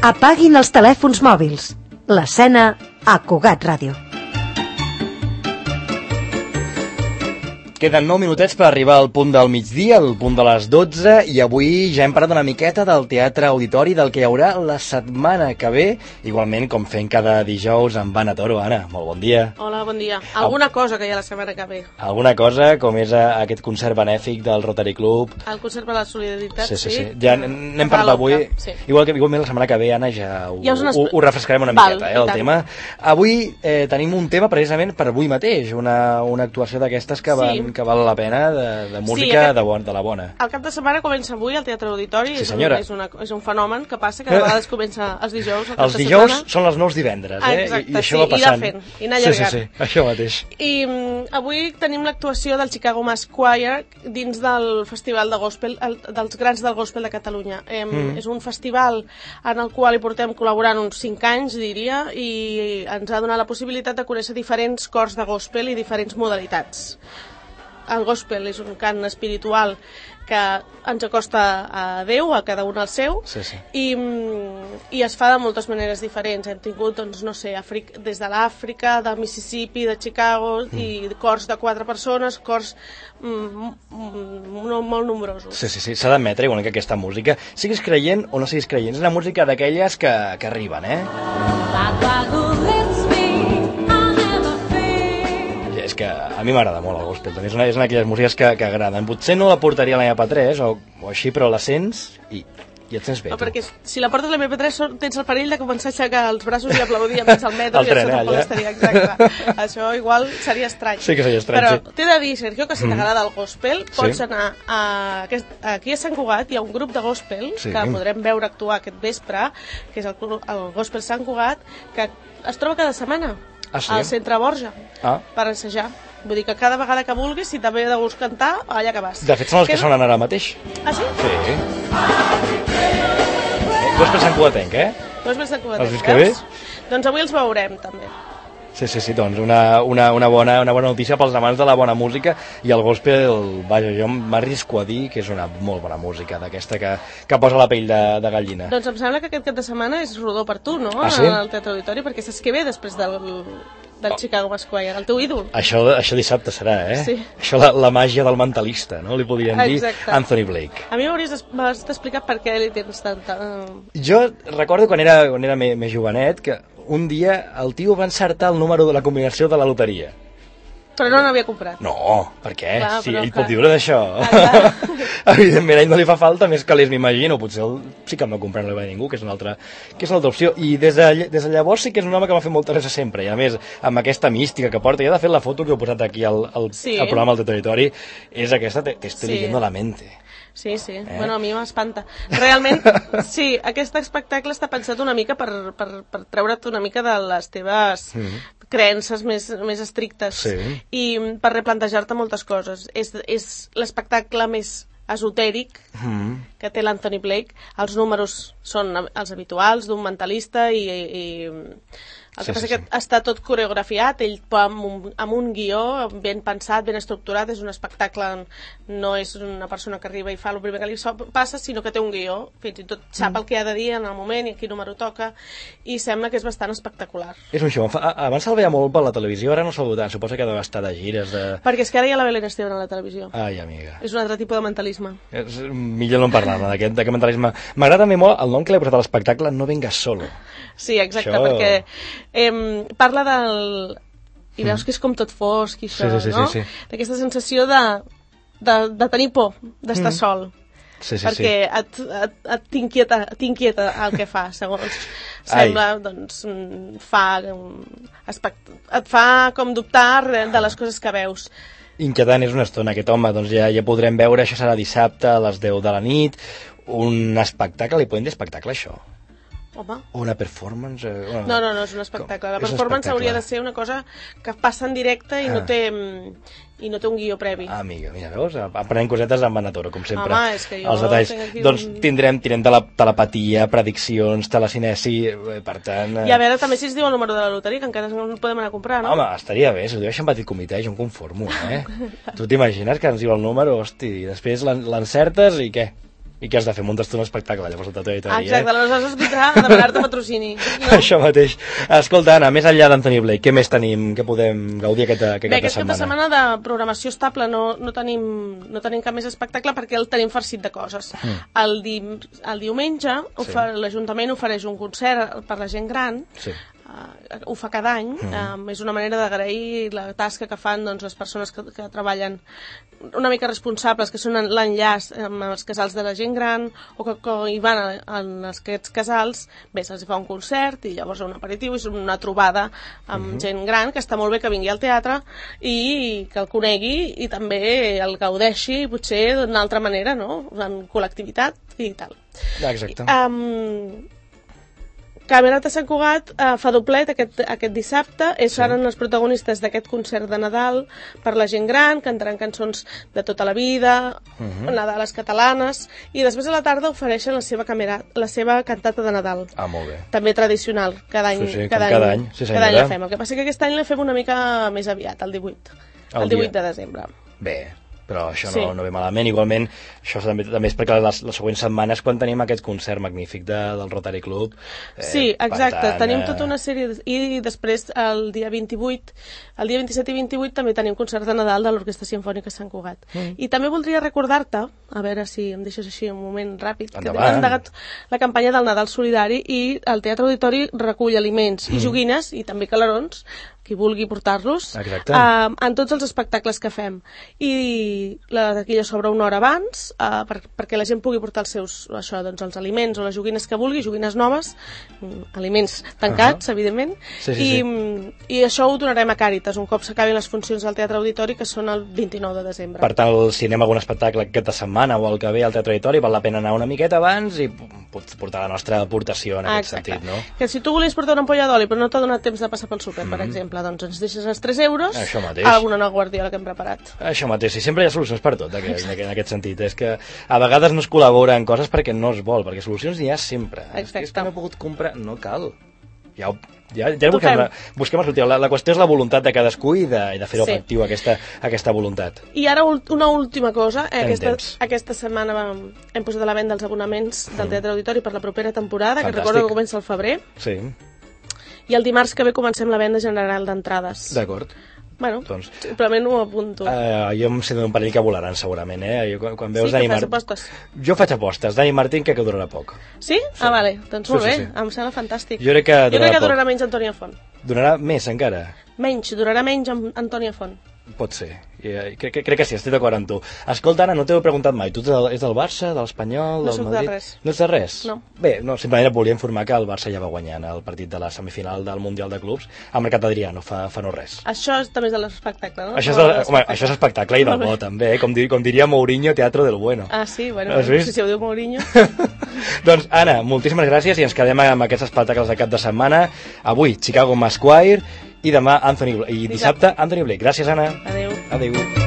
Apaguin els telèfons mòbils. L'escena a Cugat Ràdio. Queden 9 minutets per arribar al punt del migdia, al punt de les 12, i avui ja hem parlat una miqueta del Teatre Auditori, del que hi haurà la setmana que ve, igualment com fent cada dijous amb Anna Toro. Anna, molt bon dia. Hola, bon dia. Alguna cosa que hi ha la setmana que ve. Alguna cosa, com és aquest concert benèfic del Rotary Club. El concert per la solidaritat, sí. Ja n'hem parlat avui. Sí. Igualment la setmana que ve, Anna, ja ho refrescarem una miqueta, el tema. Avui tenim un tema precisament per avui mateix, una actuació d'aquestes que val la pena, de música de la bona. El cap de setmana comença avui al Teatre Auditori. Sí, senyora. És un fenomen que passa que de vegades comença els dijous. Els dijous són els nous divendres, Exacte, i això va passant. I anar allargant. Sí, això mateix. I avui tenim l'actuació del Chicago Mass Choir dins del Festival de Gospel, dels Grans del Gospel de Catalunya. És un festival en el qual hi portem col·laborant uns 5 anys, diria, i ens ha donat la possibilitat de conèixer diferents cors de gospel i diferents modalitats. El gospel és un cant espiritual que ens acosta a Déu, a cada un el seu, i es fa de moltes maneres diferents. Hem tingut, doncs, no sé, des de l'Àfrica, de Mississippi, de Chicago, i cors de 4 persones, cors molt nombrosos. Sí, s'ha d'admetre, igual que aquesta música, siguis creient o no siguis creient, és una música d'aquelles que arriben, És que a mi m'agrada molt el gospel, és una d'aquelles músiques que agraden. Potser no la portaria a l'MP3 o així, però la sents i et sents bé. Perquè si la portes a l'MP3 tens el perill de començar a aixecar els braços i aplaudir enmig al metro, i això tampoc estaria exacte. Això igual seria estrany. Sí que seria estrany, Però t'he de dir, Sergio, que si t'agrada el gospel, pots anar aquí a Sant Cugat, hi ha un grup de gospel que podrem veure actuar aquest vespre, que és el Gospel Sant Cugat, que es troba cada setmana al Centre Borja per assajar. Vull dir que cada vegada que vulguis, si també de gust cantar, allà que vas. De fet, són els que sonen ara mateix. Ah, sí? Sí. Gospel Sant Cugatenc, Gospel Sant Cugatenc, els que veus? Doncs avui els veurem, també. Sí, doncs una bona notícia pels amants de la bona música, i el gospel, vaja, jo m'arrisco a dir que és una molt bona música, d'aquesta que posa la pell de gallina. Doncs em sembla que aquest cap de setmana és rodó per tu, no? Ah, sí? Al Teatre Auditori, perquè saps què ve després del Chicago Mass Choir, el teu ídol. Això dissabte serà, Sí. Això la màgia del mentalista, no? Li podríem dir Anthony Blake. A mi m'hauries d'explicar per què li tens tanta... Jo recordo quan era més jovenet que un dia el tio va encertar el número de la combinació de la loteria. Però no n'havia comprat. No, per què? Clar, sí, ell pot viure d'això. Evidentment, a ell no li fa falta més calés, m'imagino. Potser sí que em va comprar, no li va dir ningú, que és una altra opció. I des de llavors sí que és un home que m'ha fet molta gràcia sempre. I a més, amb aquesta mística que porta, i de fet la foto que he posat aquí al programa del Territori, és aquesta, te estoy leyendo la mente. Sí. Bueno, a mi m'espanta. Realment, sí, aquest espectacle està pensat una mica per treure't una mica de les teves creences més estrictes i per replantejar-te moltes coses. És l'espectacle més esotèric que té l'Anthony Blake. Els números són els habituals d'un mentalista i el que passa que està tot coreografiat, ell amb un guió ben pensat, ben estructurat. És un espectacle, no és una persona que arriba i fa el primer que li passa, sinó que té un guió, fins i tot sap el que ha de dir en el moment i a quin número toca, i sembla que és bastant espectacular. És un show. Abans se'l veia molt per la televisió, ara no se'l veia tant. Suposa que deu estar de gires. Perquè és que ara hi ha la Belén Esteban a la televisió. Ai, amiga. És un altre tipus de mentalisme. Millor no en parlar d'aquest mentalisme. M'agrada també molt el nom que l'he posat a l'espectacle, No vengas solo. Sí, exacte, perquè parla del... I veus que és com tot fosc i això, no? Sí. D'aquesta sensació de tenir por, d'estar sol. Perquè t'inquieta el que fa, segons sembla, doncs et fa com dubtar de les coses que veus. Inquietant és una estona, aquest home, doncs ja podrem veure, això serà dissabte a les 10 de la nit, un espectacle, li podem dir espectacle, això? Home. O una performance? No, és un espectacle. La performance hauria de ser una cosa que passa en directe i no té un guió previ. Amiga, mira, veus? Aprenem cosetes amb Anna Toro, com sempre. Home, és que jo... Els detalls. Doncs tindrem telepatia, prediccions, telecinesi, per tant... I a veure, també si es diu el número de la loteria, que encara no el podem anar a comprar, no? Home, estaria bé, si ho diu en petit comitè, jo em conformo, Tu t'imagines que ens diu el número, hosti, i després l'encertes i què? I què has de fer? Muntes-te un espectacle, llavors el Teatre Auditori, Exacte, aleshores es vindrà a demanar-te patrocini. No? Això mateix. Escolta, Anna, més enllà d'Anthony Blake, què més tenim, què podem gaudir aquest cap de setmana? Bé, aquest cap de setmana de programació estable no tenim cap més espectacle perquè el tenim farcit de coses. El diumenge l'Ajuntament ofereix un concert per la gent gran. Sí. Ho fa cada any, és una manera d'agrair la tasca que fan doncs, les persones que treballen una mica responsables, que són l'enllaç amb els casals de la gent gran o que hi van en aquests casals. Bé, se'ls fa un concert i llavors un aperitiu, és una trobada amb gent gran, que està molt bé que vingui al teatre i que el conegui i també el gaudeixi potser d'una altra manera, no? En col·lectivitat i tal. Exacte. Camerata Sant Cugat fa doblet aquest dissabte, seran els protagonistes d'aquest concert de Nadal per la gent gran, cantaran cançons de tota la vida, Nadales catalanes, i després a la tarda ofereixen la seva cantata de Nadal. Molt bé. També tradicional, cada any. Sí, cada any la fem. El que passa que aquest any la fem una mica més aviat, el 18. El 18 de desembre. Bé, però això no ve malament. Igualment, això també és perquè les següents setmanes quan tenim aquest concert magnífic del Rotary Club. Sí, exacte, tenim tota una sèrie i després el dia 28, el dia 27 i 28 també tenim concert de Nadal de l'Orquestra Simfònica Sant Cugat. I també voldria recordar-te, a veure si em deixes així un moment ràpid, que hem endegat la campanya del Nadal Solidari i el Teatre Auditori recull aliments i joguines i també calarons, qui vulgui portar-los, en tots els espectacles que fem. I la taquilla s'obre una hora abans perquè la gent pugui portar els aliments o les joguines que vulgui, joguines noves, aliments tancats, evidentment, i això ho donarem a Càritas un cop s'acabin les funcions del Teatre Auditori, que són el 29 de desembre. Per tant, si anem a algun espectacle aquesta setmana o el que ve al Teatre Auditori, val la pena anar una miqueta abans i portar la nostra aportació en aquest sentit, no? Que si tu volies portar una ampolla d'oli però no t'ha donat temps de passar pel súper, per exemple, doncs ens deixes els 3 euros a una guardiola que hem preparat. Això mateix, i sempre hi ha solucions per tot en aquest sentit. És que a vegades no es col·labora en coses perquè no es vol, perquè solucions n'hi ha sempre. És que no he pogut comprar, no cal. Ja busquem el sortir. La qüestió és la voluntat de cadascú i de fer-ho efectiu, aquesta voluntat. I ara una última cosa, aquesta setmana hem posat a la venda els abonaments del Teatre Auditori per la propera temporada, que recordo que comença al febrer. Sí. I el dimarts que ve comencem la venda general d'entrades. D'acord. Bueno, simplement ho apunto. Jo em sé d'un parell que volaran segurament, quan veus Dani Martín. Apostes. Jo faig apostes. Dani Martín crec que durarà poc. Sí? Vale, doncs molt bé, em sembla fantàstic. Jo crec que durarà menys Antònia Font. Durarà més encara? Durarà menys Antònia Font. Pot ser. Crec que sí, estic d'acord amb tu. Escolta, Anna, no t'ho he preguntat mai. Tu és del Barça, de l'Espanyol, del Madrid? No soc de res. No ets de res? No. Bé, simplement et volia informar que el Barça ja va guanyant el partit de la semifinal del Mundial de Clubs amb Mercat Adrià, no fa no res. Això també és de l'espectacle, no? Això és espectacle i del bo, també. Com diria Mourinho, teatro del bueno. Ah, sí? Bueno, si ho diu Mourinho. Doncs, Anna, moltíssimes gràcies i ens quedem amb aquests espectacles de cap de setmana. Avui, Chicago Masquire, i demà dissabte Anthony Blake. Gràcies, Anna. Adéu. Adéu.